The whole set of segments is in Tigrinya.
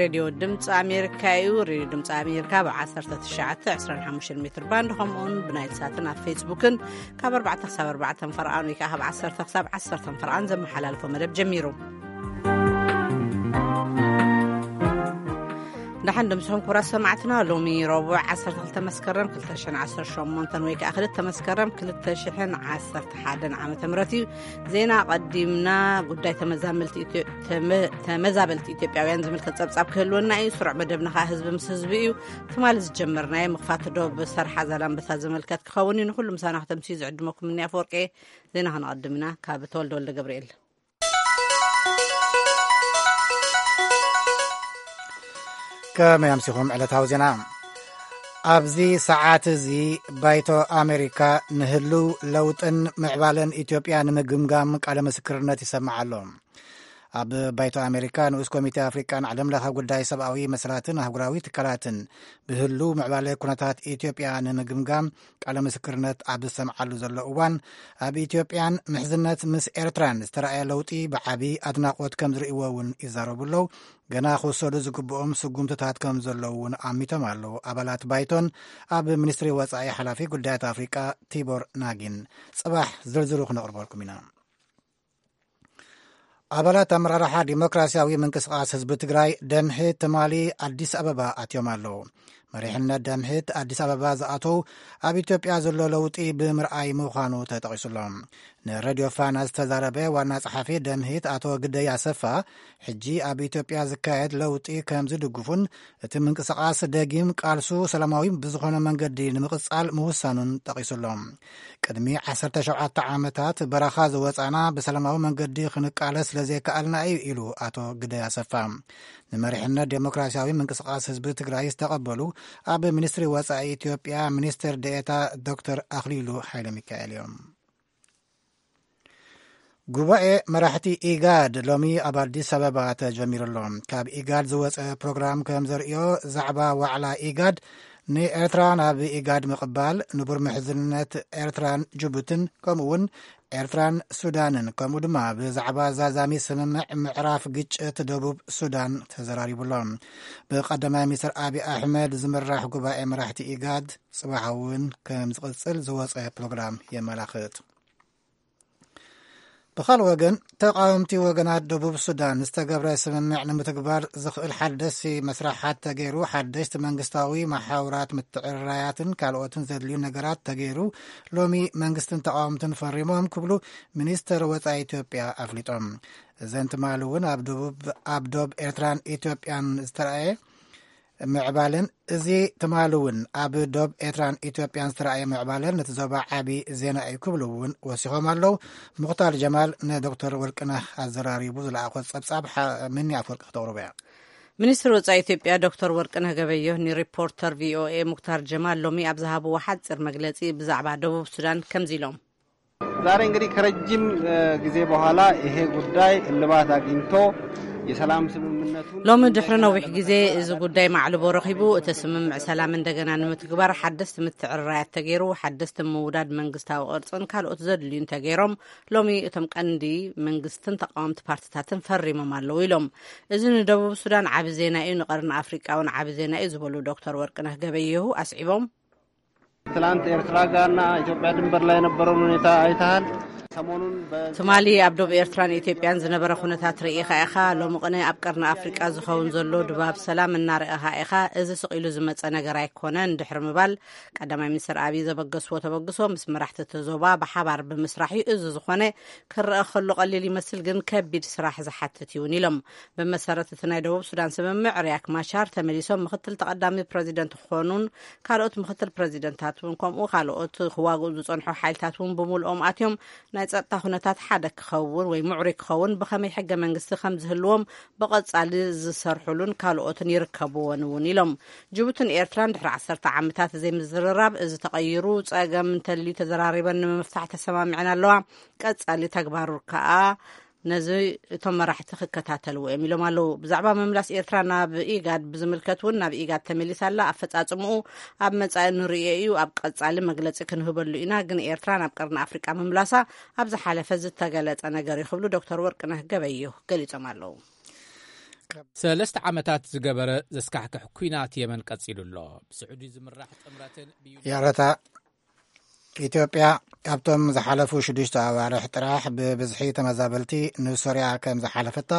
ሬድዮ ድምፂ ኣሜሪካ እዩ። ሬድዮ ድምፂ ኣሜሪካ ብ ዓሰርተ ትሽዓተ ዕስራን ሓሙሽተን ሜትር ባንድ፣ ከምኡውን ብናይል ሳትን ኣብ ፌስቡክን ካብ ኣርባዕተ ክሳብ ኣርባዕተ ፈርቓን ወይ ከዓ ካብ ዓሰርተ ክሳብ ዓሰርተ ፈርቓን ዘመሓላልፎ መደብ ጀሚሩ። ደሓን ድምፅኹም ክቡራት ሰማዕትና። ሎሚ ረቡዕ ዓሰርተ ክልተ መስከረም ክልተ ሽሕን ዓሰርተ ሸሞንተን ወይ ከዓ ክልተ መስከረም ክልተ ሽሕን ዓሰርተ ሓደን ዓመተ ምህረት እዩ። ዜና ቀዲምና ጉዳይ ተመዛመልቲ ኢትዮ-፣ ተመ-፣ ተመዛበልቲ ኢትዮጵያውያን ዝምልከት ጸብጻብ ክህልወና እዩ። ስሩዕ መደብና ኸኣ ህዝቢ ምስ ህዝቢ እዩ። ትማሊ ዝጀመርናዮ ምኽፋት ዶብ ሰርሓ ዛላምበሳ ዝምልከት ክኸውን እዩ። ንኹሉ ምሳና ክተምስዩ ዝዕድመኩም እኒ ኣፈወርቂ። ዜና ከነቐድም ኢና። ካብ ተወልደ ወልደ ገብርኤል። ከመይ ኣምሲኹም? ዕለታዊ ዜና። ኣብዚ ሰዓት እዚ ባይቶ ኣሜሪካ ንህልው ለውጥን ምዕባለን ኢትዮጵያ ንምግምጋም ቃለ ምስክርነት ይሰማዕ ኣሎ። ኣብ ባይቶ ኣሜሪካ ንኡስ ኮሚቴ ኣፍሪቃን ዓለም ለኸ ጉዳይ ሰብኣዊ መሰላትን ኣህጉራዊ ትካላትን ብህልው ምዕባለ ኩነታት ኢትዮጵያ ንምግምጋም ቃለ ምስክርነት ኣብ ዝሰምዓሉ ዘሎ እዋን፣ ኣብ ኢትዮጵያን ምሕዝነት ምስ ኤርትራን ዝተራእየ ለውጢ ብዓቢ ኣድናቖት ከም ዝርእይዎ እውን ይዛረቡ ኣለዉ። ገና ክውሰዱ ዝግብኦም ስጉምትታት ከም ዘለዉ እውን ኣሚቶም ኣለዉ። ኣባላት ባይቶን ኣብ ሚኒስትሪ ወጻኢ ሓላፊ ጉዳያት ኣፍሪቃ ቲቦር ናጊን። ጽባሕ ዝርዝሩ ክነቕርበልኩም ኢና። ኣባላት ኣመራርሓ ዲሞክራሲያዊ ምንቅስቃስ ህዝቢ ትግራይ ደምሂት ትማሊ ኣዲስ ኣበባ ኣትዮም ኣለዉ። መሪሕነት ደምሂት ኣዲስ ኣበባ ዝኣተው ኣብ ኢትዮጵያ ዘሎ ለውጢ ብምርኣይ ምዃኑ ተጠቒሱሎም። ንሬድዮ ፋና ዝተዛረበ ዋና ጸሓፊ ደምሂት ኣቶ ግደይ ኣሰፋ፣ ሕጂ ኣብ ኢትዮጵያ ዝካየድ ለውጢ ከም ዝድግፉን እቲ ምንቅስቃስ ደጊም ቃልሱ ሰላማዊ ብዝኾነ መንገዲ ንምቕጻል ምውሳኑን ጠቒሱሎም። ቅድሚ ዓሰርተ ሸውዓተ ዓመታት በረኻ ዝወጻና ብሰላማዊ መንገዲ ክንቃለስ ስለዘይከኣልና እዩ ኢሉ ኣቶ ግደይ ኣሰፋ። ንመሪሕነት ዴሞክራሲያዊ ምንቅስቃስ ህዝቢ ትግራይ ዝተቐበሉ ኣብ ሚኒስትሪ ወጻኢ ኢትዮጵያ ሚኒስትር ዴኤታ ዶክተር ኣኽሊሉ ሓይለ ሚካኤል እዮም። ጉባኤ መራሕቲ ኢጋድ ሎሚ ኣብ ኣዲስ ኣበባ ተጀሚሩ ኣሎ። ካብ ኢጋድ ዝወጸ ፕሮግራም ከም ዘርእዮ፣ ዛዕባ ዋዕላ ኢጋድ ንኤርትራ ናብ ኢጋድ ምቕባል፣ ንቡር ምሕዝነት ኤርትራን ጅቡትን፣ ከምኡ እውን ኤርትራን ሱዳንን፣ ከምኡ ድማ ብዛዕባ ዛዛሚ ስምምዕ ምዕራፍ ግጭት ደቡብ ሱዳን ተዘራሪቡ ኣሎ። ብቀዳማይ ሚኒስትር ኣቢ ኣሕመድ ዝምራሕ ጉባኤ መራሕቲ ኢጋድ ጽባሕ እውን ከም ዝቕጽል ዝወጸ ፕሮግራም የመላኽት። ብኻልእ ወገን፣ ተቓወምቲ ወገናት ደቡብ ሱዳን ዝተገብረ ስምምዕ ንምትግባር ዝኽእል ሓደስቲ መስርሓት ተገይሩ፣ ሓደስቲ መንግስታዊ መሓውራት ምትዕርራያትን ካልኦትን ዘድልዩ ነገራት ተገይሩ፣ ሎሚ መንግስትን ተቓወምትን ፈሪሞም ክብሉ ሚኒስተር ወጻኢ ኢትዮጵያ ኣፍሊጦም። እዘን ትማሊ እውን ኣብ ደቡብ፣ ኣብ ዶብ ኤርትራን ኢትዮጵያን ዝተረኣየ ምዕባለን፣ እዚ ትማሊ እውን ኣብ ዶብ ኤርትራን ኢትዮጵያን ዝተረኣየ ምዕባለን ነቲ ዞባ ዓቢ ዜና እዩ ክብሉ እውን ወሲኾም ኣለዉ። ሙኽታር ጀማል ንዶክተር ወርቅነህ ኣዘራሪቡ ዝለኣኾ ጸብጻብ ሓ-፣ ምኒ ኣፈወርቂ ክተቕርቦ እያ። ሚኒስትር ወጻኢ ኢትዮጵያ ዶክተር ወርቅነህ ገበየሁ ንሪፖርተር ቪኦኤ ሙክታር ጀማል ሎሚ ኣብ ዝሃብዎ ሓጺር መግለጺ ብዛዕባ ደቡብ ሱዳን ከምዚ ኢሎም። ዛሬ እንግዲህ ከረጅም፣ እ፣ ጊዜ በኋላ ይሄ ጉዳይ እልባት አግኝቶ የሰላም ስምምነቱን ሎሚ ድሕሪ ነዊሕ ግዜ እዚ ጉዳይ ማዕልቦ ረኺቡ፣ እቲ ስምምዕ ሰላም እንደገና ንምትግባር ሓደስቲ ምትዕርራያት ተገይሩ፣ ሓደስቲ ምውዳድ መንግስታዊ ቅርጽን ካልኦት ዘድልዩን ተገይሮም፣ ሎሚ እቶም ቀንዲ መንግስትን ተቃወምቲ ፓርትታትን ፈሪሞም ኣለዉ ኢሎም። እዚ ንደቡብ ሱዳን ዓቢ ዜና እዩ፣ ንቀርኒ ኣፍሪቃ እውን ዓቢ ዜና እዩ ዝበሉ ዶክተር ወርቅነህ ገበየሁ ኣስዒቦም፣ ትላንት ኤርትራ ጋርና ኢትዮጵያ ድንበር ላይ የነበረውን ሁኔታ አይተሃል። ሰሞኑን በ- ትማሊ ኣብ ዶብ ኤርትራን ኢትዮጵያን ዝነበረ ኩነታት ርኢኻ ኢኻ። ሎሚ ቅነ ኣብ ቀርኒ ኣፍሪቃ ዝኸውን ዘሎ ድባብ ሰላም እናረእኻ ኢኻ። እዚ ስቕ ኢሉ ዝመጸ ነገር ኣይኮነን። ድሕሪ ምባል ቀዳማይ ሚኒስትር ኣብይ ዘበገስዎ ተበግሶ ምስ መራሕቲ እቲ ዞባ ብሓባር ብምስራሕ እዩ። እዚ ዝኾነ ክረአ ከሎ ቀሊል ይመስል፣ ግን ከቢድ ስራሕ ዝሓትት እውን ኢሎም። ብመሰረት እቲ ናይ ደቡብ ሱዳን ስምምዕ ሪያክ ማቻር ተመሊሶም ምክትል ተቐዳሚ ፕረዚደንት ክኾኑን ካልኦት ምክትል ፕረዚደንታት እውን ከምኡ ካልኦት ክዋግኡ ዝጸንሑ ሓይልታት እውን ብምልኦም ኣትዮም ናይ ጸጥታ ኩነታት ሓደ ክኸውን ወይ ምዕሩይ ክኸውን ብኸመይ ሕገ መንግስቲ ከም ዝህልዎም ብቐጻሊ ዝሰርሑሉን ካልኦትን ይርከብዎን እውን ኢሎም። ጅቡትን ኤርትራን ድሕሪ ዓሰርተ ዓመታት ዘይምዝርራብ እዚ ተቐይሩ ጸገም እንተልዩ ተዘራሪበን ንምፍታሕ ተሰማሚዐን ኣለዋ። ቀጻሊ ተግባሩ ከኣ ነዚ እቶም መራሕቲ ክከታተልዎ እዮም ኢሎም ኣለዉ። ብዛዕባ ምምላስ ኤርትራ ናብ ኢጋድ ብዝምልከት እውን ናብ ኢጋድ ተመሊሳ ኣላ። ኣፈጻጽምኡ ኣብ መጻኢ ንርእዮ እዩ። ኣብ ቀጻሊ መግለጺ ክንህበሉ ኢና። ግን ኤርትራ ናብ ቀርኒ ኣፍሪቃ ምምላሳ ኣብ ዝሓለፈ ዝተገለጸ ነገር እዩ ክብሉ ዶክተር ወርቅነህ ገበየሁ ገሊጾም ኣለዉ። ሰለስተ ዓመታት ዝገበረ ዘስካሕክሕ ኲናት የመን ቀጺሉ ኣሎ። ብስዑዲ ዝምራሕ ጥምረትን ብዩ- ይቕረታ፣ ኢትዮጵያ ኣብቶም ዝሓለፉ ሽዱሽተ ኣዋርሕ ጥራሕ ብብዝሒ ተመዛበልቲ ንሶርያ ከም ዝሓለፈታ፣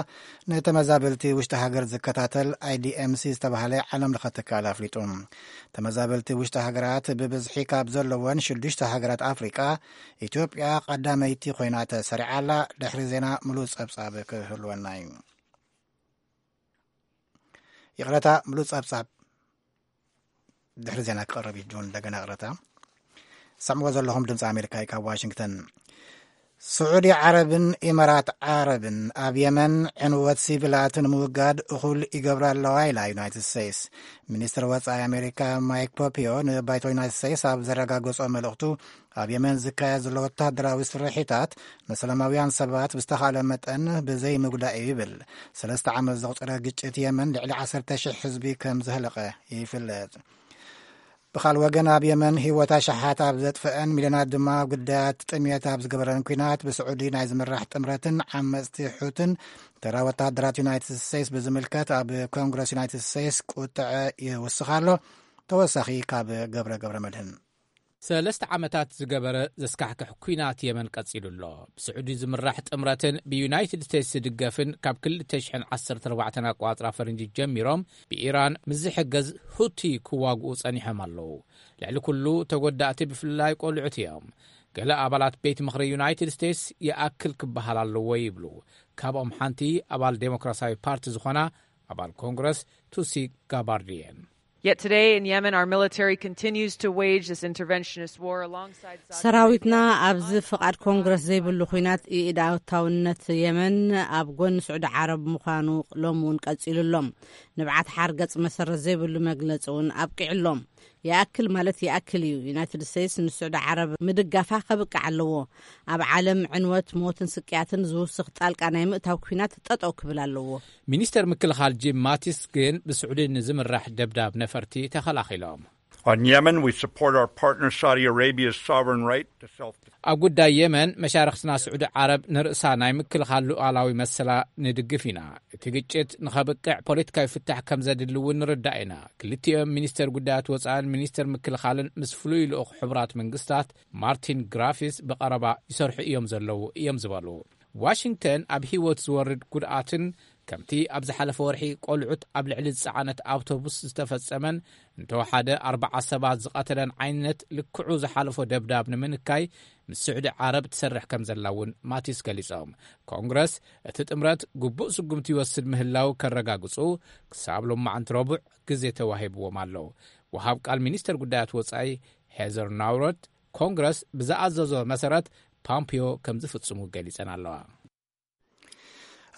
ንተመዛበልቲ ውሽጢ ሃገር ዝከታተል ኣይ ዲ ኤም ሲ ዝተባህለ ዓለም ለኸ ትካል ኣፍሊጡ። ተመዛበልቲ ውሽጢ ሃገራት ብብዝሒ ካብ ዘለወን ሽዱሽተ ሃገራት ኣፍሪቃ፣ ኢትዮጵያ ቀዳመይቲ ኮይና ተሰሪዓ ኣላ። ድሕሪ ዜና ምሉእ ጸብጻብ ክህልወና እዩ። ይቕረታ፣ ምሉእ ጸብጻብ ድሕሪ ዜና ክቐርብ እዩ። ጆን፣ እንደገና ይቕረታ። ሰምዎ ዘለኹም ድምፂ ኣሜሪካ እዩ ካብ ዋሽንግተን። ስዑዲ ዓረብን ኢማራት ዓረብን ኣብ የመን ዕንወት ሲቪላት ንምውጋድ እኹል ይገብራ ኣለዋ ኢላ ዩናይትድ ስቴትስ። ሚኒስትር ወፃኢ ኣሜሪካ ማይክ ፖምፒዮ ንባይቶ ዩናይትድ ስቴትስ ኣብ ዘረጋገጾ መልእኽቱ፣ ኣብ የመን ዝካየድ ዘሎ ወታደራዊ ስርሒታት ንሰላማውያን ሰባት ብዝተኻለ መጠን ብዘይ ምጉዳእ እዩ ይብል። ሰለስተ ዓመት ዘቑፀረ ግጭት የመን ልዕሊ ዓሰርተ ሽሕ ህዝቢ ከም ዘህለቐ ይፍለጥ። ብኻል ወገን ኣብ የመን ህይወት ኣሽሓት ኣብ ዘጥፍአን ሚልዮናት ድማ ኣብ ግዳያት ጥምየት ኣብ ዝገበረን ኲናት ብስዑዲ ናይ ዝምራሕ ጥምረትን ዓመፅቲ ሑትን ተራ ወታደራት ዩናይትድ ስቴትስ ብዝምልከት ኣብ ኮንግረስ ዩናይትድ ስቴትስ ቁጥዐ ይውስኽ ኣሎ። ተወሳኺ ካብ ገብረ ገብረ መድህን። ሰለስተ ዓመታት ዝገበረ ዘስካሕክሕ ኲናት የመን ቀጺሉ ኣሎ። ብስዑዲ ዝምራሕ ጥምረትን ብዩናይትድ ስቴትስ ዝድገፍን ካብ ክልተ ሽሕን ዓሰርተ ኣርባዕተን ኣቋጽራ ፈረንጂ ጀሚሮም ብኢራን ምስ ዝሕገዝ ሁቲ ክዋግኡ ጸኒሖም ኣለዉ። ልዕሊ ኩሉ ተጎዳእቲ ብፍላይ ቆልዑት እዮም። ገለ ኣባላት ቤት ምኽሪ ዩናይትድ ስቴትስ ይኣክል ክበሃል ኣለዎ ይብሉ። ካብኦም ሓንቲ ኣባል ዴሞክራሲያዊ ፓርቲ ዝኾና ኣባል ኮንግረስ ቱሲ ጋባርድ እየን። Yet today in Yemen, our military continues to wage this interventionist war alongside Saudi ሰራዊትና ኣብዚ ፍቓድ ኮንግረስ ዘይብሉ ኲናት ኢድ ኣወታውነት የመን ኣብ ጎኒ ስዑዲ ዓረብ ምዃኑ ሎም እውን ቀጺሉ ኣሎ። ንብዓት ሓርገጽ መሰረት ዘይብሉ መግለጺ እውን ኣብቂዑ ኣሎ። ይኣክል ማለት ይኣክል እዩ። ዩናይትድ ስቴትስ ንስዑዲ ዓረብ ምድጋፋ ከብቅዕ ኣለዎ። ኣብ ዓለም ዕንወት፣ ሞትን ስቅያትን ዝውስኽ ጣልቃ ናይ ምእታው ኲናት ጠጠው ክብል ኣለዎ። ሚኒስተር ምክልኻል ጂም ማቲስ ግን ብስዑዲ ንዝምራሕ ደብዳብ ነፈርቲ ተኸላኺሎም። On Yemen, we support our partner Saudi Arabia's sovereign right to self ኣብ ጉዳይ የመን መሻርኽትና ስዑዲ ዓረብ ንርእሳ ናይ ምክልኻል ሉዓላዊ መሰላ ንድግፍ ኢና። እቲ ግጭት ንኸብቅዕ ፖለቲካዊ ፍታሕ ከም ዘድሊ እውን ንርዳእ ኢና። ክልቲኦም ሚኒስተር ጉዳያት ወጻእን ሚኒስተር ምክልኻልን ምስ ፍሉይ ልኡኽ ሕቡራት መንግስታት ማርቲን ግራፊስ ብቐረባ ይሰርሑ እዮም ዘለዉ እዮም ዝበሉ። ዋሽንግተን ኣብ ህይወት ዝወርድ ጉድኣትን ከምቲ ኣብ ዝሓለፈ ወርሒ ቆልዑት ኣብ ልዕሊ ዝጸዓነት ኣውቶቡስ ዝተፈጸመን እንተወሓደ ኣርባዓ ሰባት ዝቐተለን ዓይነት ልክዑ ዝሓለፎ ደብዳብ ንምንካይ ምስ ስዑዲ ዓረብ ትሰርሕ ከም ዘላ እውን ማቲስ ገሊጾም። ኮንግረስ እቲ ጥምረት ግቡእ ስጉምቲ ይወስድ ምህላው ከረጋግጹ ክሳብ ሎማዓንቲ ረቡዕ ግዜ ተዋሂብዎም ኣሎ። ወሃብ ቃል ሚኒስተር ጉዳያት ወጻኢ ሄዘር ናውሮት ኮንግረስ ብዝኣዘዞ መሰረት ፓምፒዮ ከም ዝፍጽሙ ገሊጸን ኣለዋ።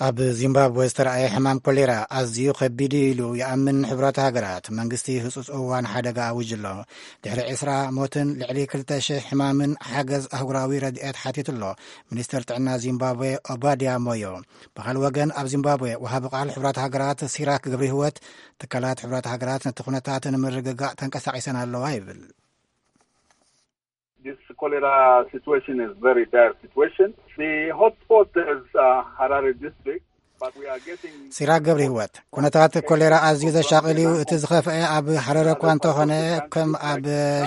ኣብ ዚምባብወ ዝተረኣየ ሕማም ኮሌራ ኣዝዩ ከቢድ እዩ ኢሉ ይኣምን። ሕብራት ሃገራት መንግስቲ ህጹጽ እዋን ሓደጋ ኣውጅ ኣሎ። ድሕሪ ዕስራ ሞትን ልዕሊ ክልተ ሽሕ ሕማምን ሓገዝ ኣህጉራዊ ረድኤት ሓቲቱ ኣሎ ሚኒስተር ጥዕና ዚምባብወ ኦባድያ ሞዮ። ብኻል ወገን ኣብ ዚምባብወ ወሃቢ ቃል ሕብራት ሃገራት ሲራክ ገብረ ህይወት ትካላት ሕብራት ሃገራት ነቲ ኩነታት ንምርግጋእ ተንቀሳቒሰን ኣለዋ ይብል። This cholera situation is very dire situation. The hotspot is uh, Harare district, but we are getting ሲራክ ገብረ ህይወት፣ ኩነታት ኮሌራ ኣዝዩ ዘሻቕል እዩ። እቲ ዝኸፍአ ኣብ ሃረረ እኳ እንተኾነ፣ ከም ኣብ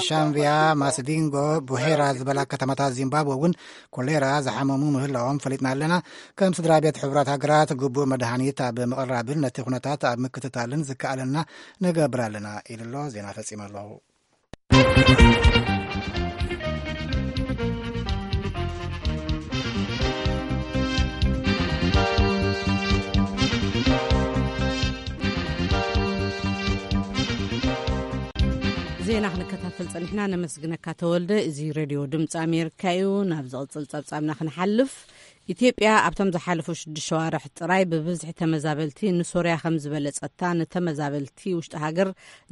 ሻምብያ፣ ማስቪንጎ፣ ቡሄራ ዝበላ ከተማታት ዚምባብወ እውን ኮሌራ ዝሓመሙ ምህላዎም ፈሊጥና ኣለና። ከም ስድራ ቤት ሕቡራት ሃገራት ግቡእ መድሃኒት ኣብ ምቕራብን ነቲ ኩነታት ኣብ ምክትታልን ዝከኣለና ንገብር ኣለና ኢሉ ኣሎ። ዜና ፈጺመ ኣለኹ። ዜና ክንከታተል ጸኒሕና፣ ነመስግነካ ተወልደ። እዚ ሬድዮ ድምፂ ኣሜሪካ እዩ። ናብ ዝቕፅል ጸብጻብና ክንሓልፍ፣ ኢትዮጵያ ኣብቶም ዝሓለፉ ሽዱሽተ ሸዋርሕ ጥራይ ብብዝሒ ተመዛበልቲ ንሶርያ ከም ዝበለጸታ ንተመዛበልቲ ውሽጢ ሃገር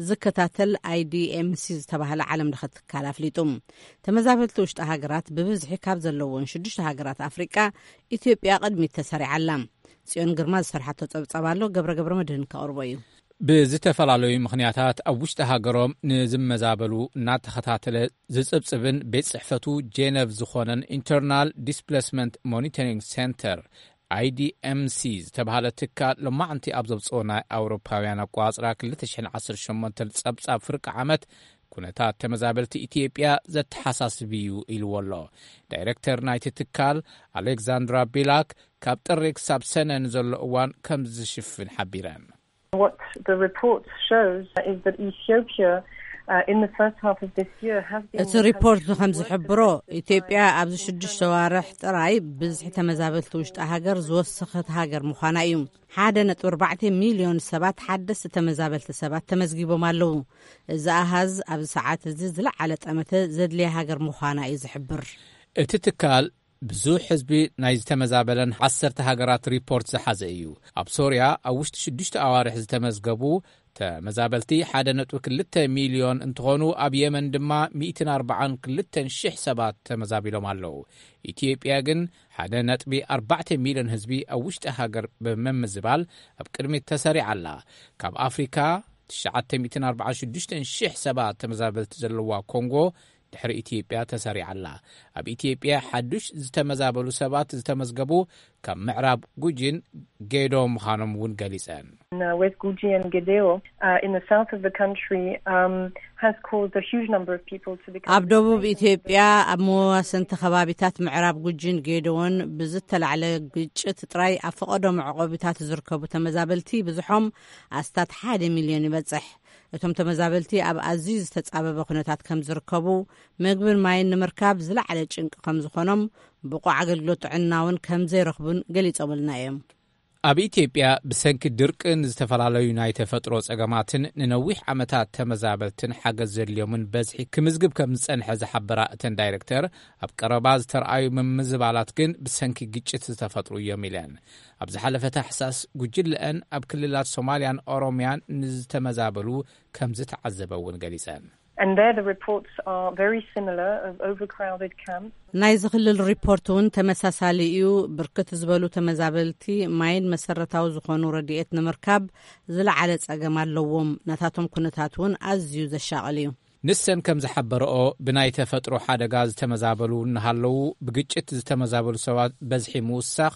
ዝከታተል ኣይ ዲ ኤም ሲ ዝተባህለ ዓለም ለኸ ትካል ኣፍሊጡ። ተመዛበልቲ ውሽጢ ሃገራት ብብዝሒ ካብ ዘለዎን ሽዱሽተ ሃገራት ኣፍሪቃ ኢትዮጵያ ቅድሚት ተሰሪዓ ኣላ። ጽዮን ግርማ ዝሰርሓቶ ጸብጻብ ኣሎ፣ ገብረ ገብረ መድህን ከቕርቦ እዩ። ብዝተፈላለዩ ምኽንያታት ኣብ ውሽጢ ሃገሮም ንዝመዛበሉ እናተኸታተለ ዝጽብጽብን ቤት ጽሕፈቱ ጄነቭ ዝኾነን ኢንተርናል ዲስፕሌስመንት ሞኒተሪንግ ሴንተር ኣይዲኤምሲ ዝተባህለ ትካል ሎማዕንቲ ኣብ ዘውፅኦ ናይ ኣውሮፓውያን ኣቋፅራ ክልተ ሽሕን ዓሰርተ ሸሞንተን ጸብጻብ ፍርቂ ዓመት፣ ኩነታት ተመዛበልቲ ኢትዮጵያ ዘተሓሳስብ እዩ ኢልዎ ኣሎ። ዳይሬክተር ናይቲ ትካል ኣሌክዛንድራ ቢላክ፣ ካብ ጥሪ ክሳብ ሰነ ንዘሎ እዋን ከም ዝሽፍን ሓቢረን። What the report shows is that Ethiopia, uh, in the first half of this year, has been እቲ ሪፖርት ከም ዝሕብሮ፣ ኢትዮጵያ ኣብዚ ሽዱሽተ ዋርሕ ጥራይ ብዝሒ ተመዛበልቲ ውሽጢ ሃገር ዝወሰኸት ሃገር ምዃና እዩ። ሓደ ነጥቢ ኣርባዕተ ሚልዮን ሰባት ሓደስቲ ተመዛበልቲ ሰባት ተመዝጊቦም ኣለዉ። እዚ ኣሃዝ ኣብዚ ሰዓት እዚ ዝለዓለ ጠመተ ዘድልያ ሃገር ምዃና እዩ ዝሕብር። እቲ ትካል ብዙሕ ህዝቢ ናይ ዝተመዛበለን ዓሰርተ ሃገራት ሪፖርት ዝሓዘ እዩ። ኣብ ሶርያ ኣብ ውሽጢ ሽዱሽተ ኣዋርሕ ዝተመዝገቡ ተመዛበልቲ ሓደ ነጥቢ ክልተ ሚልዮን እንትኾኑ፣ ኣብ የመን ድማ ሚእትን ኣርባዓን ክልተን ሽሕ ሰባት ተመዛቢሎም ኣለዉ። ኢትዮጵያ ግን ሓደ ነጥቢ ኣርባዕተ ሚልዮን ህዝቢ ኣብ ውሽጢ ሃገር ብምምዝባል ኣብ ቅድሚት ተሰሪዓ ኣላ። ካብ ኣፍሪካ ትሽዓተ ሚእትን ኣርባዓን ሽዱሽተን ሽሕ ሰባት ተመዛበልቲ ዘለዋ ኮንጎ ድሕሪ ኢትዮጵያ ተሰሪዓ ኣላ። ኣብ ኢትዮጵያ ሓዱሽ ዝተመዛበሉ ሰባት ዝተመዝገቡ ካብ ምዕራብ ጉጂን ጌዶ ምዃኖም እውን ገሊጸን። In uh, West Guji and Gedeo, uh, in the south of the country, um, has caused a huge number of people to become ኣብ ደቡብ ኢትዮጵያ ኣብ መዋሰንቲ ከባቢታት ምዕራብ ጉጂን ጌዶዎን ብዝተላዕለ ግጭት ጥራይ ኣብ ፈቐዶ መዕቆቢታት ዝርከቡ ተመዛበልቲ ብዝሖም ኣስታት ሓደ ሚልዮን ይበጽሕ። እቶም ተመዛበልቲ ኣብ ኣዝዩ ዝተጻበበ ኩነታት ከም ዝርከቡ፣ ምግብን ማይን ንምርካብ ዝለዓለ ጭንቂ ከም ዝኾኖም፣ ብቑዕ ኣገልግሎት ጥዕና እውን ከም ዘይረኽቡን ገሊጾምልና እዮም። ኣብ ኢትዮጵያ ብሰንኪ ድርቅን ዝተፈላለዩ ናይ ተፈጥሮ ጸገማትን ንነዊሕ ዓመታት ተመዛበልትን ሓገዝ ዘድልዮምን በዝሒ ክምዝግብ ከም ዝጸንሐ ዝሓበራ እተን ዳይሬክተር፣ ኣብ ቀረባ ዝተረኣዩ ምምዝባላት ግን ብሰንኪ ግጭት ዝተፈጥሩ እዮም ኢለን። ኣብ ዝሓለፈ ታሕሳስ ጉጅለአን ኣብ ክልላት ሶማልያን ኦሮምያን ንዝተመዛበሉ ከም ዝተዓዘበ እውን ገሊጸን። And there the reports are very similar of overcrowded camps. ናይዚ ክልል ሪፖርት እውን ተመሳሳሊ እዩ። ብርክት ዝበሉ ተመዛበልቲ ማይን መሰረታዊ ዝኾኑ ረድኤት ንምርካብ ዝለዓለ ጸገም ኣለዎም። ናታቶም ኩነታት እውን ኣዝዩ ዘሻቕል እዩ። ንሰን ከም ዝሓበረኦ፣ ብናይ ተፈጥሮ ሓደጋ ዝተመዛበሉ እናሃለዉ ብግጭት ዝተመዛበሉ ሰባት በዝሒ ምውሳኽ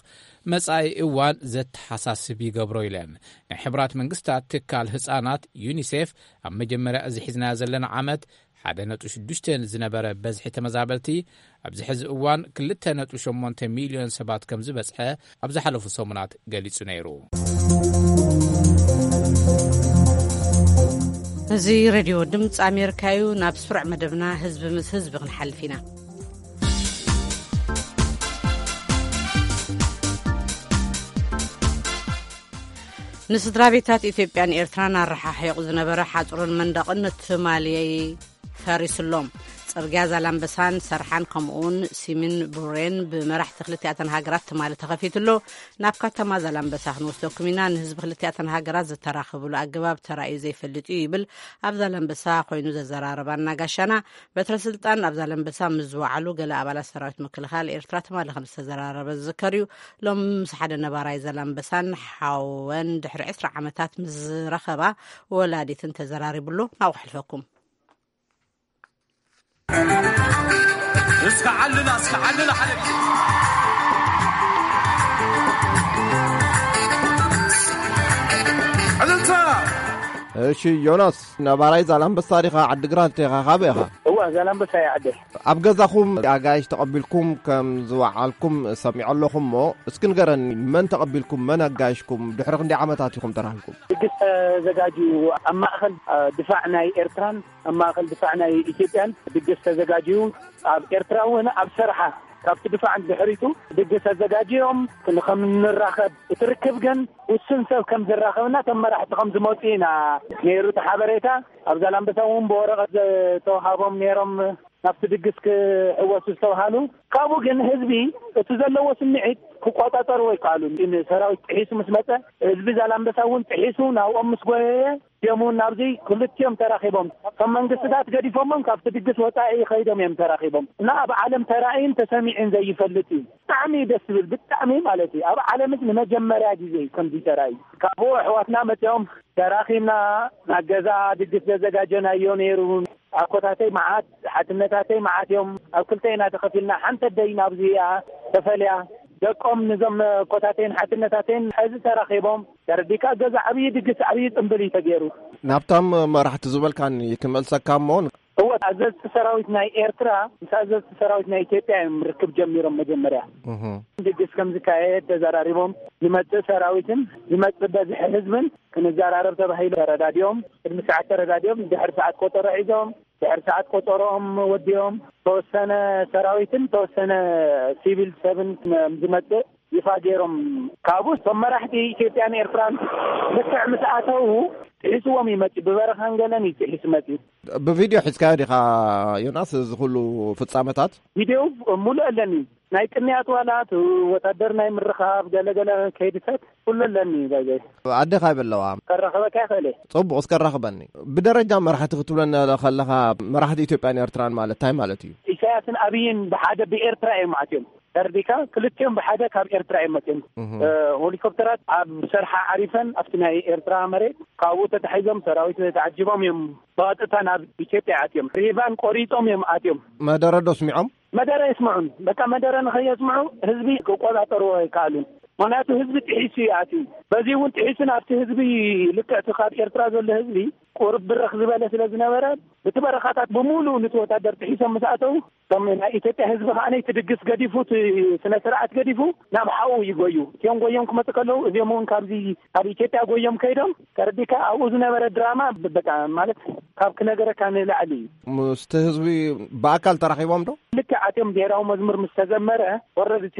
መጻኢ እዋን ዘተሓሳስብ ይገብሮ ኢለን። ናይ ሕቡራት መንግስታት ትካል ህጻናት ዩኒሴፍ ኣብ መጀመርያ እዚ ሒዝናዮ ዘለና ዓመት ሓደ ነጥቢ ሽዱሽተ ዝነበረ በዝሒ ተመዛበልቲ ኣብዚ ሕዚ እዋን ክልተ ነጥቢ ሸሞንተ ሚልዮን ሰባት ከም ዝበጽሐ ኣብ ዝሓለፉ ሰሙናት ገሊጹ ነይሩ። እዚ ሬድዮ ድምፂ ኣሜሪካ እዩ። ናብ ስሩዕ መደብና ህዝቢ ምስ ህዝቢ ክንሓልፍ ኢና። ንስድራ ቤታት ኢትዮጵያን ኤርትራን ኣረሓሒቑ ዝነበረ ሓፁርን መንደቕን ትማሊ ፈሪሱሎም። ጽርግያ ዛላምበሳን ሰርሓን ከምኡውን ሲሚን ቡሬን ብመራሕቲ ክልቲኣተን ሃገራት ትማሊ ተኸፊቱሎ። ናብ ከተማ ዛላምበሳ ክንወስደኩም ኢና። ንህዝቢ ክልቲኣተን ሃገራት ዝተራኸብሉ ኣገባብ ተራእዩ ዘይፈልጥ እዩ ይብል ኣብ ዛላምበሳ ኮይኑ ዘዘራረባና ጋሻና። በትረ ስልጣን ኣብ ዛላምበሳ ምስ ዝወዓሉ ገለ ኣባላት ሰራዊት ምክልኻል ኤርትራ ትማሊ ከም ዝተዘራረበ ዝዝከር እዩ። ሎም ምስ ሓደ ነባራይ ዛላምበሳን ሓወን ድሕሪ ዕስራ ዓመታት ምስ ዝረኸባ ወላዲትን ተዘራሪቡሎ። ናብኡ ክሕልፈኩም። እስከ ዓልላ እስከ ዓልላ ሓደ እሺ ዮናስ፣ ነባራይ ዛላምበሳ ዲኻ? ዓዲግራት ዲኻ? ካበይ ኢኻ? እዋ፣ ዛላምበሳ እየ ዓደይ። ኣብ ገዛኹም ኣጋይሽ ተቐቢልኩም ከም ዝወዓልኩም ሰሚዐ ኣለኹ እሞ፣ እስኪ ንገረኒ፣ መን ተቐቢልኩም? መን ኣጋይሽኩም? ድሕሪ ክንደይ ዓመታት ኢኹም ተራኺብኩም? ድግስ ተዘጋጅዩ ኣብ ማእኸል ድፋዕ ናይ ኤርትራን ኣብ ማእኸል ድፋዕ ናይ ኢትዮጵያን ድግስ ተዘጋጅዩ፣ ኣብ ኤርትራ እውን ኣብ ሰርሓ ካብቲ ድፋዕ ድሕሪቱ ድግስ ኣዘጋጅዮም ንኸም ንራኸብ፣ እቲ ርክብ ግን ውሱን ሰብ ከም ዝራኸብና እቶም መራሕቲ ከም ዝመፁ ኢና ነይሩ እቲ ሓበሬታ። ኣብ ዛላምበሳ እውን ብወረቐት ዝተውሃቦም ነይሮም ናብቲ ድግስ ክሕወሱ ዝተውሃሉ። ካብኡ ግን ህዝቢ እቲ ዘለዎ ስምዒት ክቆፃፀርዎ ኣይከኣሉን። ሰራዊት ጥሒሱ ምስ መፀ፣ ህዝቢ ዛላምበሳ እውን ጥሒሱ ናብኦም ምስ ጎየየ፣ እዚኦም እውን ናብዚ ክልቲኦም ተራኺቦም፣ እቶም መንግስትታት ገዲፎሞም ካብቲ ድግስ ወፃኢ ከይዶም እዮም ተራኺቦም። እና ኣብ ዓለም ተራእዩን ተሰሚዑን ዘይፈልጥ እዩ። ብጣዕሚ እዩ ደስ ዝብል፣ ብጣዕሚ ማለት እዩ። ኣብ ዓለምስ ንመጀመርያ ግዜ እዩ ከምዚ ተራእዩ። ካብኡ ኣሕዋትና መፂኦም ተራኺብና ናብ ገዛ ድግስ ዘዘጋጀናዮ ነይሩ። ኣኮታተይ መዓት፣ ሓትነታተይ መዓት እዮም። ኣብ ክልተ ኢና ተኸፊልና። ሓንቲ ኣደይ ናብዚ እያ ተፈልያ። ደቆም፣ ንዞም ኮታቴን ሓትነታቴን ሕዚ ተራኺቦም። ተረዲካ፣ ገዛ ዓብዪ ድግስ፣ ዓብዪ ጽምብል እዩ ተገይሩ። ናብቶም መራሕቲ ዝበልካኒ ክመልሰካ እሞ፣ እወ፣ ኣዘዝቲ ሰራዊት ናይ ኤርትራ ምስ ኣዘዝቲ ሰራዊት ናይ ኢትዮጵያ እዮም ርክብ ጀሚሮም። መጀመርያ እህ። ድግስ ከም ዝካየድ ተዘራሪቦም። ዝመጽእ ሰራዊትን ዝመጽእ በዝሒ ህዝብን ክንዘራረብ ተባሂሉ ተረዳዲኦም። ቅድሚ ሰዓት ተረዳዲኦም፣ ድሕሪ ሰዓት ቆጸሮ ሒዞም፣ ድሕሪ ሰዓት ቆጸሮኦም ወዲኦም፣ ተወሰነ ሰራዊትን ተወሰነ ሲቪል ሰብን ከም ዝመጽእ ይፋ ገይሮም። ካብኡ እቶም መራሕቲ ኢትዮጵያን ኤርትራን ልክዕ ምስ ኣተዉ፣ ጥሒስዎም ይመጽእ። ብበረኻን ገለን እዩ ጥሒሱ መጽእ። ብቪድዮ ሒዝካዮ ዲኻ ዮናስ፣ እዚ ኩሉ ፍጻመታት? ቪድዮ ሙሉእ ኣለኒ። ናይ ቅንያት ዋላ፣ እቲ ወታደር ናይ ምርኻብ ገለገለ ከይድሰት ኩሉ ኣለኒ። ባይዘይ ኣዴኻ ይበለዋ። ከራኸበካ ይኽእል እየ። ጽቡቕ፣ እስከ ራኽበኒ። ብደረጃ መራሕቲ ክትብለና ከለኻ፣ መራሕቲ ኢትዮጵያን ኤርትራን ማለት እንታይ ማለት እዩ? ኢሳያስን ኣብይን ብሓደ ብኤርትራ እዮም ኣትዮም። ተርዲካ፣ ክልቲኦም ብሓደ ካብ ኤርትራ እዮም መፅዮም። እህ። እ፣ ሄሊኮፕተራት ኣብ ሰርሓ ዓሪፈን ኣብቲ ናይ ኤርትራ መሬት፣ ካብኡ ተታሒዞም ሰራዊት ተዓጂቦም እዮም ብቐጥታ ናብ ኢትዮጵያ ኣትዮም። ሪቫን ቆሪጾም እዮም ኣትዮም። መደረ ዶ ስሚዖም? መደረ የስምዑን። በቃ፣ መደረ ንኸየስምዑ ህዝቢ ክቆጻጸርዎ ኣይከኣሉን። ምኽንያቱ ህዝቢ ጥሒሱ እዩ ኣትዩ። በዚ እውን ጥሒሱ ናብቲ ህዝቢ ልክዕ እቲ ካብ ኤርትራ ዘሎ ህዝቢ ቁርብ ብርኽ ዝበለ ስለ ዝነበረ፣ ብቲ በረኻታት ብምሉኡ ንቲ ወታደር ጥሒሶም ምስ ኣተዉ፣ እቶም ናይ ኢትዮጵያ ህዝቢ ከኣ ነቲ ድግስ ገዲፉ፣ እቲ ስነ ስርዓት ገዲፉ ናብ ሓኡ እዩ ጎዩ። እቲኦም ጎዮም ክመጹ ከለዉ፣ እዚኦም እውን ካብዚ ካብ ኢትዮጵያ ጎዮም ከይዶም፣ ተረዲካ፣ ኣብኡ ዝነበረ ድራማ ብ-፣ በቃ፣ ማለት፣ ካብ ክነገረካ ንላዕሊ እዩ። ምስቲ ህዝቢ ብኣካል ተራኺቦም ዶ? ልክዕ ኣትዮም ብሄራዊ መዝሙር ምስ ተዘመረ፣ ወረድ እቲ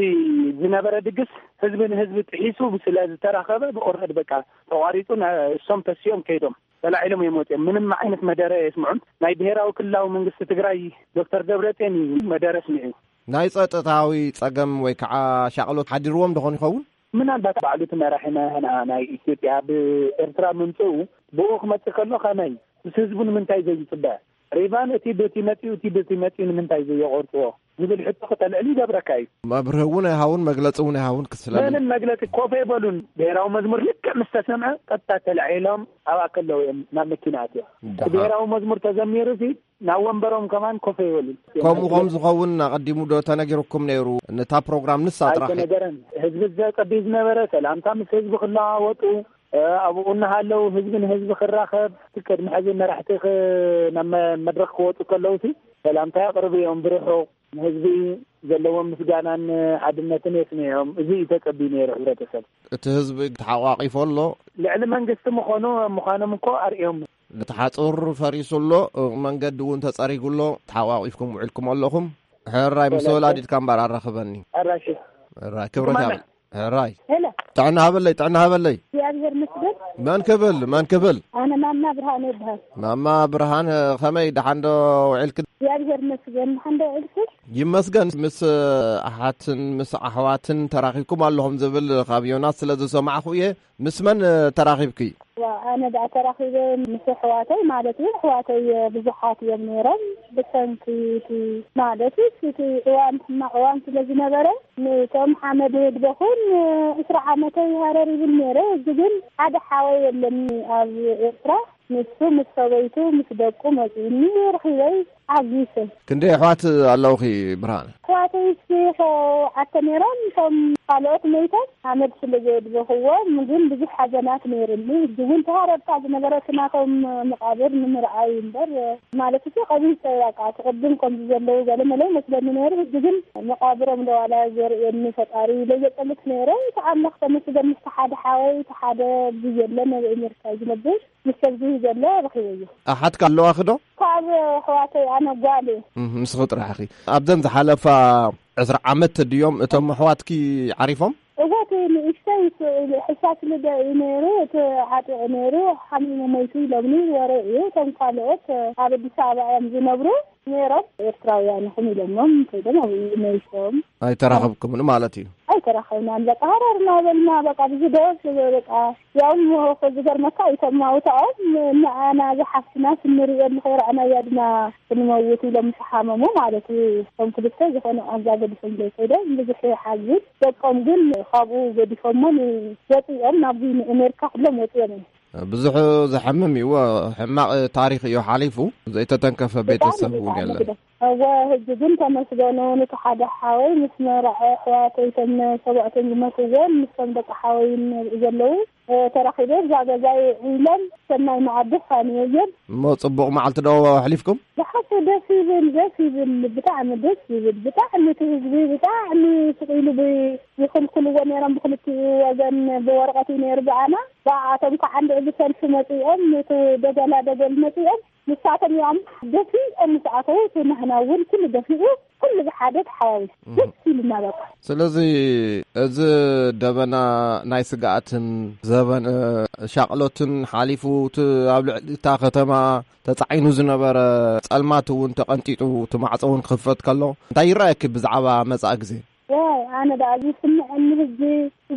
ዝነበረ ድግስ ህዝቢ ንህዝቢ ጥሒሱ ስለ ዝተራኸበ፣ ብኦረድ በቃ ተቋሪጹ፣ ና-፣ እሶም ተሲኦም ከይዶም። ተላዒሎም እዮም ወፂኦም። ምንም ዓይነት መደረ የስምዑን። ናይ ብሄራዊ ክልላዊ መንግስቲ ትግራይ ዶክተር ደብረፅዮን እዩ መደረ ስሚዑ። ናይ ጸጥታዊ ጸገም ወይ ከዓ ሻቕሎት ሓዲርዎም ደኾን ይኸውን? ምናልባት ባዕሉ እቲ መራሒ ናህና ናይ ኢትዮጵያ ብኤርትራ ምምፅኡ፣ ብኡ ክመፅእ ከሎ ከመይ? ምስ ህዝቡ ንምንታይ ዘይፅበ? ሪቫን እቲ በቲ መፂኡ፣ እቲ በቲ መፂኡ ንምንታይ ዘየቆርፅዎ? ዝብል ሕቶ ክተልዕል ይገብረካ እዩ። መብርሂ እውን ኣይሃውን፣ መግለፂ እውን ኣይሃውን ክስለኒ። ምንም መግለፂ ኮፍ ኣይበሉን። ብሄራዊ መዝሙር ልክዕ ምስ ተሰምዐ ቀጥታ ተላዒሎም ኣብኣ ከለዉ እዮም ናብ መኪና ኣትዮም። ደሓን። እቲ ብሄራዊ መዝሙር ተዘሚሩ ሲ ናብ ወንበሮም ከማን ኮፍ ኣይበሉን። ከምኡ ከም ዝኸውን ኣቐዲሙ ዶ ተነጊሩኩም ነይሩ? ነታ ፕሮግራም ንሳ ጥራሕ? ኣይተነገረን። ህዝቢ ዘጸብይ ዝነበረ ሰላምታ ምስ ህዝቢ ክለዋወጡ፣ እ፣ ኣብኡ እናሃለዉ ህዝቢ ንህዝቢ ክራኸብ፣ ቅድሚ ሕዚ መራሕቲ ክ-፣ ናብ መ-፣ መድረኽ ክወጡ ከለዉ ሲ ሰላምታ የቕርቡ እዮም ብርሑቕ። ንህዝቢ ዘለዎም ምስጋናን ሓድነትን የስምዕዮም። እዚ እዩ ተጸብዩ ነይሩ ሕብረተሰብ። እቲ ህዝቢ ተሓቋቒፉ ኣሎ። ልዕሊ መንግስቲ ምዃኑ፣ ምዃኖም እኮ ኣርእዮም። እቲ ሓጹር ፈሪሱ ኣሎ፣ መንገዲ እውን ተጸሪጉ ኣሎ። ተሓቋቒፍኩም ውዒልኩም ኣለኹም። ሕራይ፣ ምስ ሰላም። ወላዲትካ እምበር ኣራኽበኒ። ኣራሺ። ሕራይ፣ ክብረት ይማና። ያብል። ሕራይ። ሄሎ። ጥዕና ሃበለይ፣ ጥዕና ሃበለይ። እግዚኣብሔር ይመስገን። መን ክብል፣ መን ክብል? ኣነ ማማ ብርሃን ይበሃል። ማማ ብርሃን፣ ከመይ፣ ደሓን ዶ ውዒልክ? እግዚኣብሔር ይመስገን። ደሓን ዶ ውዒልክ? ይመስገን። ምስ ኣሓትን ምስ ኣሕዋትን ተራኺብኩም ኣለኹም ዝብል ካብ ዮናስ ስለ ዝሰማዕኹ እየ። ምስ መን ተራኺብኪ? ዋ፣ ኣነ ደኣ ተራኺበ ምስ ኣሕዋተይ ማለት እዩ። ኣሕዋተይ ብዙሓት እዮም ነይሮም። ብሰንኪ እቲ ማለት እዩ፣ እቲ እዋን ሕማቕ እዋን ስለ ዝነበረ፣ ነቶም ሓመድ ህድበኹን ዕስራ ዓመተይ ሃረር ይብል ነይረ። እዚ ግን ሓደ ሓወይ የለኒ ኣብ ኤርትራ። ንሱ ምስ ሰበይቱ ምስ ደቁ መጺኡኒ፣ ረኺበይ ዓጊሰ። ክንደይ ኣሕዋት ኣለውኺ ብርሃን? ኣሕዋተይ እስኪ ሸውዓተ ነይሮም፣ እቶም ካልኦት መይቶም ሓመድ ስለ ዘየድበኽዎም ግን ብዙሕ ሓዘናት ነይሩኒ። ሕጂ እውን ተሃረብካ ዝነበረ እቲ ናቶም መቓብር ንምርኣይ እምበር፣ ማለት እቲ ቀቢፀ በቃ እቲ ቅድም ከምዚ ዘለዉ ገለ መለ ይመስለኒ ነይሩ። ሕጂ ግን መቓብሮም ዶ ዋላ ዘርእየኒ ፈጣሪ ለየጠልት ነይረ። እቲ ኣምላኽ ተመስገን፣ ምስቲ ሓደ ሓወይ፣ እቲ ሓደ ብየለ ኣብ ኣሜሪካ እዩ ዝነብር። ምስ ሰብ ዝህብ ዘሎ ረኺበዮ። ኣሓትካ ኣለዋኺ ዶ? ካብ ኣሕዋተይ ኣነ ጓል እየ። እም፣ ንስኺ ጥራሕ ኢኺ። ኣብዘን ዝሓለፋ ዕስራ ዓመት ድዮም እቶም ኣሕዋትኪ ዓሪፎም? እወ፣ እቲ ንእሽተይ ስ-፣ ሕሳስ ልደ እዩ ነይሩ፣ እቲ ዓጢቑ ነይሩ፣ ሓሚሙ ሞይቱ ኢሎምኒ ወረ እዩ። እቶም ካልኦት ኣብ ኣዲስ ኣበባ እዮም ዝነብሩ ነይሮም። ኤርትራውያን ኢኹም ኢሎሞም፣ ከይዶም ኣብኡ መይቶም። ኣይተራኸብኩምን ማለት እዩ? ኣይተራኸብናን። በቃ ሃረርና በልና፣ በቃ ብዙ ደስ በቃ ያው ዝገርመካ እቶም ማውታኦም ንዓና ዝሓፍትና ስንርእየሉ ከይረኣናያ ድና ክንመውት ኢሎም ምስ ሓመሙ ማለት እዩ። እቶም ክልተ ዝኾነ ቃንዛ ገዲፎም ዘይከይዶም ብዙሕ ይሓዝን። ደቆም ግን ካብኡ ገዲፎሞ ወፂኦም ናብዚ ንኣሜሪካ ኩሎም ወፂኦም እዮም። ብዙሕ ዘሐምም እዩ። ሕማቕ ታሪኽ እዩ ሓሊፉ። ዘይተተንከፈ ብጣዕሚ ቤተሰብ እውን ብጣዕሚ የለን። ግደ-፣ እወ፣ ሕጂ ግን ተመስገኑ፣ ነቲ ሓደ ሓወይ ምስ መርዓ ኣሕዋተይ፣ እቶም ሰብኣቶም ዝመትዎም፣ ምስቶም ደቂ ሓወይ ንርኢ ዘለዉ፣ እ፣ ተራኺበ፣ እዛ ገዛይ ኢሎም፣ ሰናይ መዓዲ ፋንየየን። እሞ ጽቡቕ መዓልቲ ዶ ኣሕሊፍኩም? ዝሓሸ ደስ ይብል፣ ደስ ይብል፣ ብጣዕሚ ደስ ይብል። ብጣዕሚ እቲ ህዝቢ ብጣዕሚ ስቕ ኢሉ ብ-፣ ይኽልክልዎ ነይሮም ብክልቲኡ ወገን ብወረቐት እዩ ነይሩ ብኣና። ብኣቶም ከዓ እንድዒ ብሰልፊ መጺኦም፣ እቲ ደገላ ደገል መጺኦም፣ ንሳቶም እዮም ደፊኦም ምስ ኣተዉ፣ እቲ ናህና እውን ኩሉ ደፊኡ፣ ኩሉ ብሓደ ተሓዋዊሱ እህ። ደስ ኢሉና በቃ። ስለዚ እዚ ደበና ናይ ስግኣትን ዘበን፣ እ፣ ሻቕሎትን ሓሊፉ፣ እቲ ኣብ ልዕሊ እታ ከተማ ተጻዒኑ ዝነበረ ጸልማት እውን ተቐንጢጡ፣ እቲ ማዕጾ እውን ክኽፈት ከሎ፣ እንታይ ይረኣየኪ ብዛዕባ መጻኢ ግዜ? ዋይ፣ ኣነ ደኣ ዝስምዐኒ ህጂ፣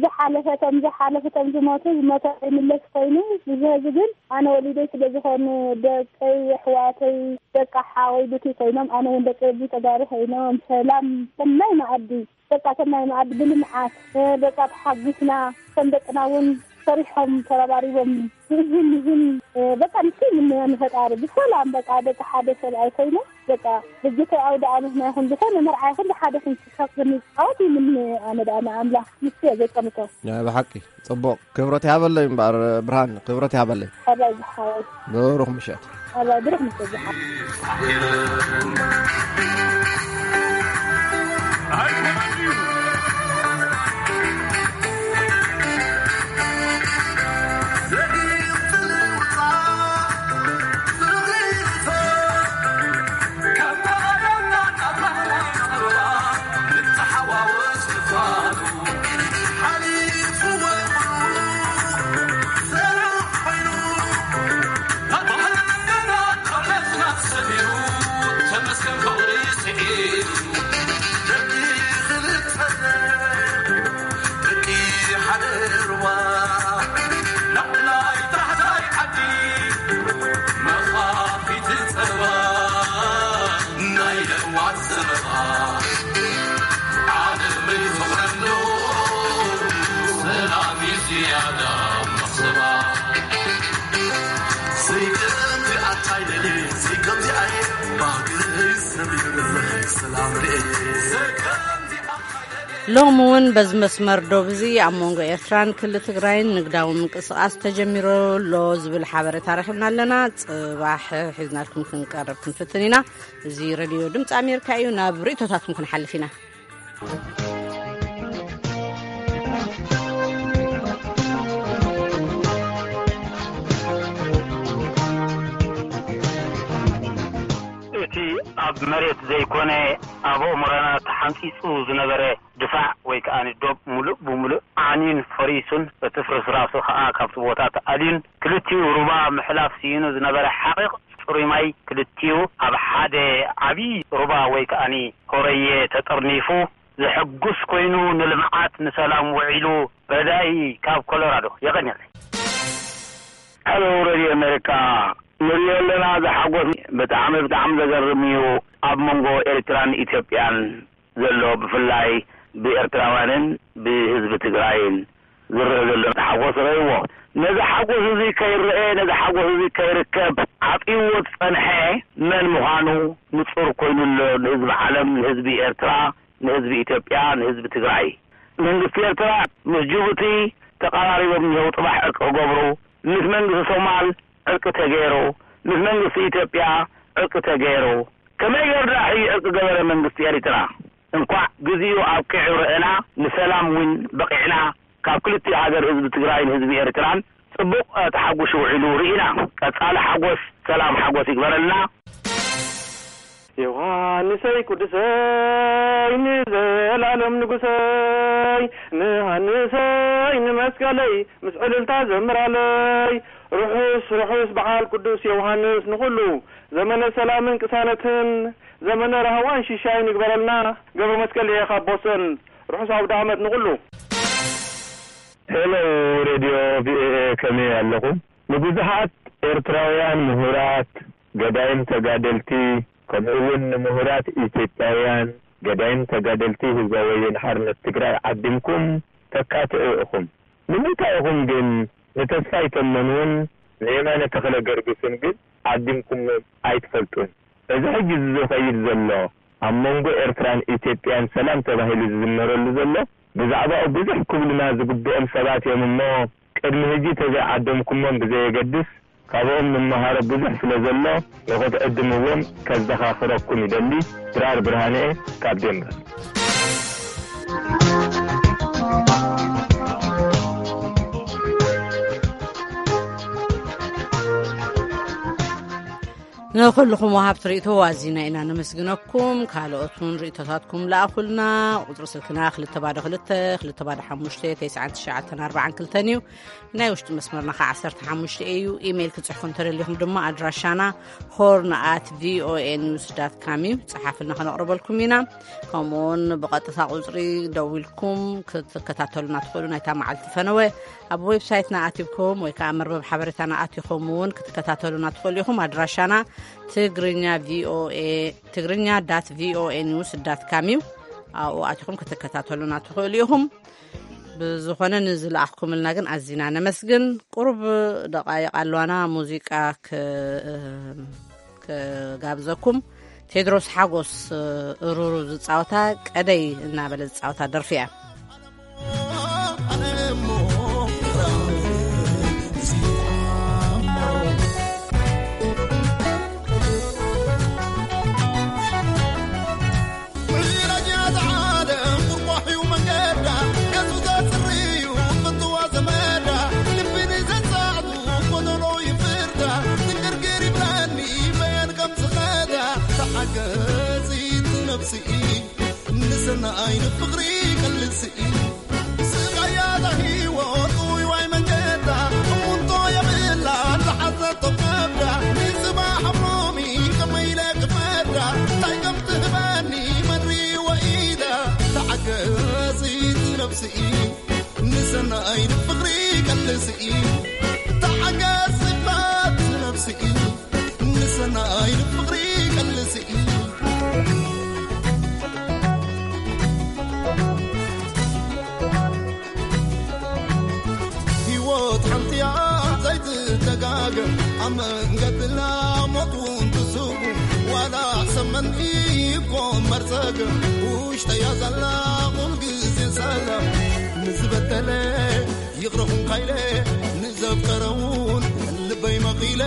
ዝሓለፈ፣ እቶም ዝሓለፉ፣ እቶም ዝሞቱ፣ ዝሞተ ይምለስ ኮይኑ፣ እዚ ህጂ ግን ኣነ ወሊደይ ስለ ዝኾኑ፣ ደቀይ፣ ኣሕዋተይ፣ ደቂ ሓወይ ብቲ ኮይኖም፣ ኣነ እውን ደቂ ርቢ ተጋሩ ኮይኖም፣ ሰላም፣ ሰናይ መኣዲ፣ በቃ ሰናይ መኣዲ ብልምዓት፣ እ፣ በቃ ተሓጒስና፣ ከም ደቅና እውን ሰሪሖም፣ ተረባሪቦም፣ ይህን፣ ይህን፣ እ፣ በቃ ንሱ ይምነዮ ንፈጣሪ፣ ብሰላም፣ በቃ ደቂ ሓደ ሰብኣይ ኮይኖም፣ በቃ፣ ህጂ ከይ ኣውደ ዓመትና ይኹን፣ ዝኾነ መርዓ ይኹን፣ ብሓደ ክንስከፍ ክንጻወት ይምነ፣ ኣነ ደኣ ንኣምላኽ፣ ንሱ እየ ዘጸምቶ። ናይ ብሓቂ ጽቡቕ። ክብረት ይሃበለይ እምበኣር ብርሃን፣ ክብረት ይሃበለይ። ኣባይ ዝሓወይ። ብሩኽ ምሸት። ኣባይ ብሩኽ ምሸት ዝሓወይ። ሎሚ እውን በዚ መስመር ዶብ እዚ ኣብ መንጎ ኤርትራን ክልል ትግራይን ንግዳዊ ምንቅስቓስ ተጀሚሩ ኣሎ ዝብል ሓበሬታ ረኺብና ኣለና። ጽባሕ ሒዝናልኩም ክንቀርብ ክንፍትን ኢና። እዚ ሬድዮ ድምፂ ኣሜሪካ እዩ። ናብ ርእይቶታትኩም ክንሓልፍ ኢና። እቲ ኣብ መሬት ዘይኮነ ኣብ ኣእምሮና ተሓንጺጹ ዝነበረ ድፋዕ ወይ ከኣ ዶብ ምሉእ ብምሉእ ዓንዩን ፈሪሱን፣ እቲ ፍርስራሱ ከኣ ካብቲ ቦታ ተኣልዩን፣ ክልቲኡ ሩባ ምሕላፍ ስኢኑ ዝነበረ ሓቒቕ ጽሩይ ማይ፣ ክልቲኡ ኣብ ሓደ ዓቢ ሩባ ወይ ከኣ ሆረየ ተጠርኒፉ፣ ዘሐጉስ ኮይኑ፣ ንልምዓት ንሰላም ውዒሉ። ረዳኢ ካብ ኮሎራዶ። የቐንየለይ። ሃሎ ሬድዮ ኣሜሪካ፣ ንሪኦ ኣለና፣ ዝሓጎስ፣ ብጣዕሚ፣ ብጣዕሚ ዘገርም እዩ። ኣብ መንጎ ኤርትራን ኢትዮጵያን ዘሎ፣ ብፍላይ ብኤርትራውያንን ብህዝቢ ትግራይን ዝረአ ዘሎ ሓጎስ ረእይዎ። ነዚ ሓጎስ እዚ ከይረአ፣ ነዚ ሓጎስ እዚ ከይርከብ ዓጽይዎ ዝጸንሐ መን ምዃኑ ንጹር ኮይኑ ኣሎ፣ ንህዝቢ ዓለም፣ ንህዝቢ ኤርትራ፣ ንህዝቢ ኢትዮጵያ፣ ንህዝቢ ትግራይ። መንግስቲ ኤርትራ ምስ ጅቡቲ ተቐራሪቦም እኒሀው፣ ጽባሕ ዕርቂ ክገብሩ። ምስ መንግስቲ ሶማል ዕርቂ ተገይሩ፣ ምስ መንግስቲ ኢትዮጵያ ዕርቂ ተገይሩ። ከመይ ገይሩ ደኣ ሕጂ ዕርቂ ገበረ መንግስቲ ኤርትራ? እንኳዕ ግዚኡ ኣብቂዑ ረኣና፣ ንሰላም እውን በቒዕና። ካብ ክልቲኡ ሃገር ህዝቢ ትግራይን ህዝቢ ኤርትራን ጽቡቕ፣ እ፣ ተሓጒሱ ውዒሉ ርኢና። ቀጻሊ ሓጎስ፣ ሰላም ሓጎስ ይግበረልና። ዮሃንሰይ ቅዱሰይ ንዘላለም ንጉሰይ፣ ንሃንሰይ ንመስቀለይ ምስ ዕልልታ ዘምራለይ። ርሑስ ርሑስ በዓል ቅዱስ ዮሃንስ ንኹሉ፣ ዘመነ ሰላምን ቅሳነትን፣ ዘመነ ራህዋን ሽሻይን ይግበረልና። ገብረ መስቀል እየ ካብ ቦስተን። ርሑስ ኣውደ ዓመት ንኹሉ። ሄሎ ሬድዮ ቪኦኤ፣ ከመይ ኣለኹም? ንብዙሓት ኤርትራውያን ምሁራት፣ ገዳይም ተጋደልቲ፣ ከምኡ እውን ንምሁራት ኢትዮጵያውያን፣ ገዳይም ተጋደልቲ ህዝባዊ ወያነ ሓርነት ትግራይ ዓዲምኩም ተካትዑ ኢኹም። ንምንታይ ኢኹም ግን ንተስፋይ ተመኑን ንየማነ ተኽለ ገርግስን ግን ዓዲምኩሞም ኣይትፈልጡን? እዚ ሕጂ ዝኸይድ ዘሎ ኣብ መንጎ ኤርትራን ኢትዮጵያን ሰላም ተባሂሉ ዝዝመረሉ ዘሎ፣ ብዛዕባኡ ብዙሕ ክብሉና ዝግብኦም ሰባት እዮም እሞ፣ ቅድሚ ሕጂ ተዘይዓደምኩሞም ብዘየገድስ፣ ካብኦም ንመሃሮ ብዙሕ ስለ ዘሎ፣ ንኽትዕድምዎም ከዘኻኽረኩም ይደሊ። ድራር ብርሃነ ካብ ዴንቨር። ንኹልኹም ወሃብቲ ርእይቶ ኣዚና ኢና ነመስግነኩም። ካልኦት እውን ርእይቶታትኩም ለኣኹልና። ቁጽሪ ስልክና ክልተ ባዶ ክልተ፣ ክልተ ባዶ ሓሙሽተ፣ ተስዓን ትሽዓተን ኣርባዓን ክልተን እዩ። ናይ ውሽጢ መስመርና ኸዓ ዓሰርተ ሓሙሽተ እዩ። ኢሜይል ክጽሕፉ እንተደሊኹም ድማ ኣድራሻና ሆርን ኣት ቪኦኤ ኒውስ ዳት ካም እዩ። ጸሓፍልና፣ ከነቕርበልኩም ኢና። ከምኡውን ብቐጥታ ቁጽሪ ደዊልኩም ክትከታተሉና ትኽእሉ። ናይታ መዓልቲ ፈነወ ኣብ ዌብሳይትና ኣቲብኩም ወይ ከዓ መርበብ ሓበሬታና ኣቲኹም እውን ክትከታተሉና ትኽእሉ ኢኹም። ኣድራሻና ትግርኛ ቪኦኤ፣ ትግርኛ ዳት ቪኦኤ ኒውስ ዳት ካም እዩ። ኣብኡ ኣቲኹም ክትከታተሉና ትኽእሉ ኢኹም። ብዝኾነ ንዝለኣኽኩምልና ግን ኣዚና ነመስግን። ቁሩብ ደቓይቕ ኣለዋና፣ ሙዚቃ ክ-፣ ክጋብዘኩም። ቴድሮስ ሓጎስ እሩሩ ዝጻወታ፣ ቀደይ እናበለ ዝጻወታ ደርፊ እያ። ንሰናይ ንፍቕሪ ቀልሲ ስቓያ ዛ ህይወት ውይዋይ መንገዳ እሙንቶ የብላ ዝሓዘቶ ከብዳ ንጽባሕ ሎሚ ከመይ ኢለ ክፈዳ እንታይ ከም ትህበኒ መድሪ ወኢዳ ተዓገሲ ነብሲ ንሰናይ ንፍቕሪ ቀልሲ ተዓገሲ ባት ነብሲ ንሰናይ ፍቕሪ ቀልሲ ህይወት ሓንቲያ ዘይትደጋገም ኣብ መንገድና ሞት እውን ትስጉ ዋላ ሰመን ይኮመር ጸገም ውሽጠያ ዘላ ኩል ግዜ ሰላም ንዝበደለ ይቕረኹም ካይለ ንዘፍቀረ እውን ልበይ መቒለ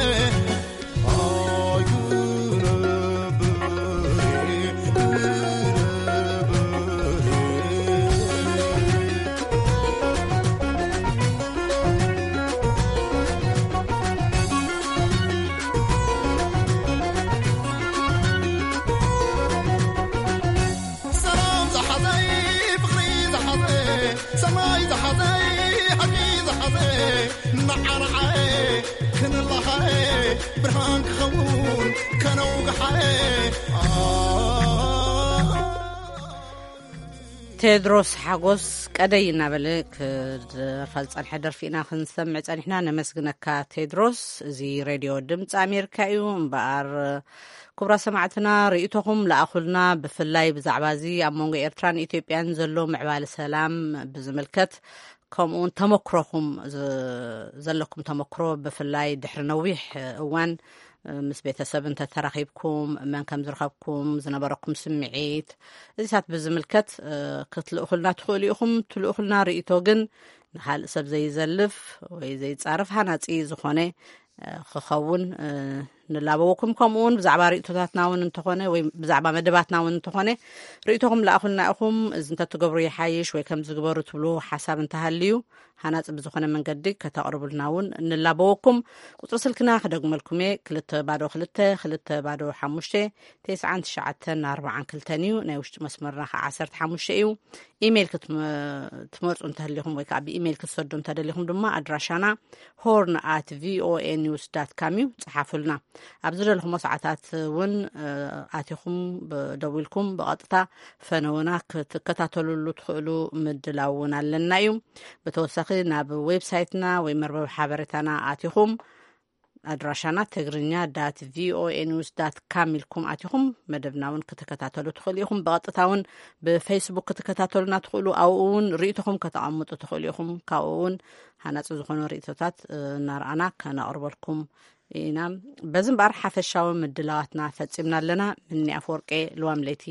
ሰላም ዝሓዘይ ፍቕሪ ዝሓዘ ሰማይ ዝሓዘይ ሓቂ ዝሓዘ ንዓንዓየ ክንላኻየ ብርሃን ክኸውን ከነውግሓየ ቴድሮስ ሓጎስ ቀደይ እናበለ ክደርፋ ዝጸንሐ ደርፊ ኢና ክንሰምዕ ጸኒሕና። ነመስግነካ ቴድሮስ። እዚ ሬድዮ ድምፂ ኣሜሪካ እዩ። እምበኣር ክቡራ ሰማዕትና ርእይቶኹም ለኣኹልና። ብፍላይ ብዛዕባ እዚ ኣብ መንጎ ኤርትራን ኢትዮጵያን ዘሎ ምዕባለ ሰላም ብዝምልከት ከምኡውን ተመክሮኹም ዝ-፣ ዘለኩም ተመክሮ ብፍላይ ድሕሪ ነዊሕ እዋን ምስ ቤተሰብ እንተተራኺብኩም መን ከም ዝረኸብኩም ዝነበረኩም ስምዒት እዚታት ብዝምልከት ክትልእኹልና ትኽእሉ ኢኹም። ትልእኹልና ርእይቶ ግን ንኻልእ ሰብ ዘይዘልፍ ወይ ዘይጻረፍ ሃናጺ ዝኾነ ክኸውን ንላበወኩም። ከምኡ እውን ብዛዕባ ርእይቶታትና እውን እንተኾነ ወይ ብዛዕባ መደባትና እውን እንተኾነ ርእይቶኹም ለኣኹልና ኢኹም። እዚ እንተትገብሩ ይሓይሽ ወይ ከምዚ ግበሩ ትብሉ ሓሳብ እንተሃልዩ ሃናጺ ብዝኾነ መንገዲ ከተቕርቡልና እውን ንላበወኩም። ቁጽሪ ስልክና ክደግመልኩም እየ፣ ክልተ ባዶ ክልተ፣ ክልተ ባዶ ሓሙሽተ፣ ተስዓን ትሽዓተን ኣርባዓን ክልተን እዩ። ናይ ውሽጢ መስመርና ከዓ ዓሰርተ ሓሙሽተ እዩ። ኢሜይል ክትመ-፣ ትመርጹ እንተህሊኹም ወይ ከዓ ብኢሜይል ክትሰዱ እንተደሊኹም ድማ ኣድራሻና ሆርን ኣት ቪኦኤ ኒውስ ዳት ካም እዩ። ጸሓፉልና። ኣብ ዝደለኹሞ ሰዓታት እውን፣ እ፣ ኣቲኹም ብ-፣ ደዊልኩም ብቐጥታ ፈነወና ክትከታተሉሉ ትኽእሉ ምድላው እውን ኣለና እዩ። ብተወሳኺ ናብ ዌብሳይትና ወይ መርበብ ሓበሬታና ኣቲኹም ኣድራሻና ትግርኛ ዳት ቪኦኤ ኒውስ ዳት ካም ኢልኩም ኣቲኹም መደብና እውን ክትከታተሉ ትኽእሉ ኢኹም። ብቐጥታ እውን ብፌስቡክ ክትከታተሉና ትኽእሉ፣ ኣብኡ እውን ርእይቶኹም ከተቐምጡ ትኽእሉ ኢኹም። ካብኡ እውን ሃናጺ ዝኾኑ ርእይቶታት፣ እ፣ እናረኣና ከነቕርበልኩም ኢና። በዚ እምበኣር ሓፈሻዊ ምድላዋትና ፈጺምና ኣለና። ምኒ ኣፈወርቄ፣ ልዋም ለይቲ።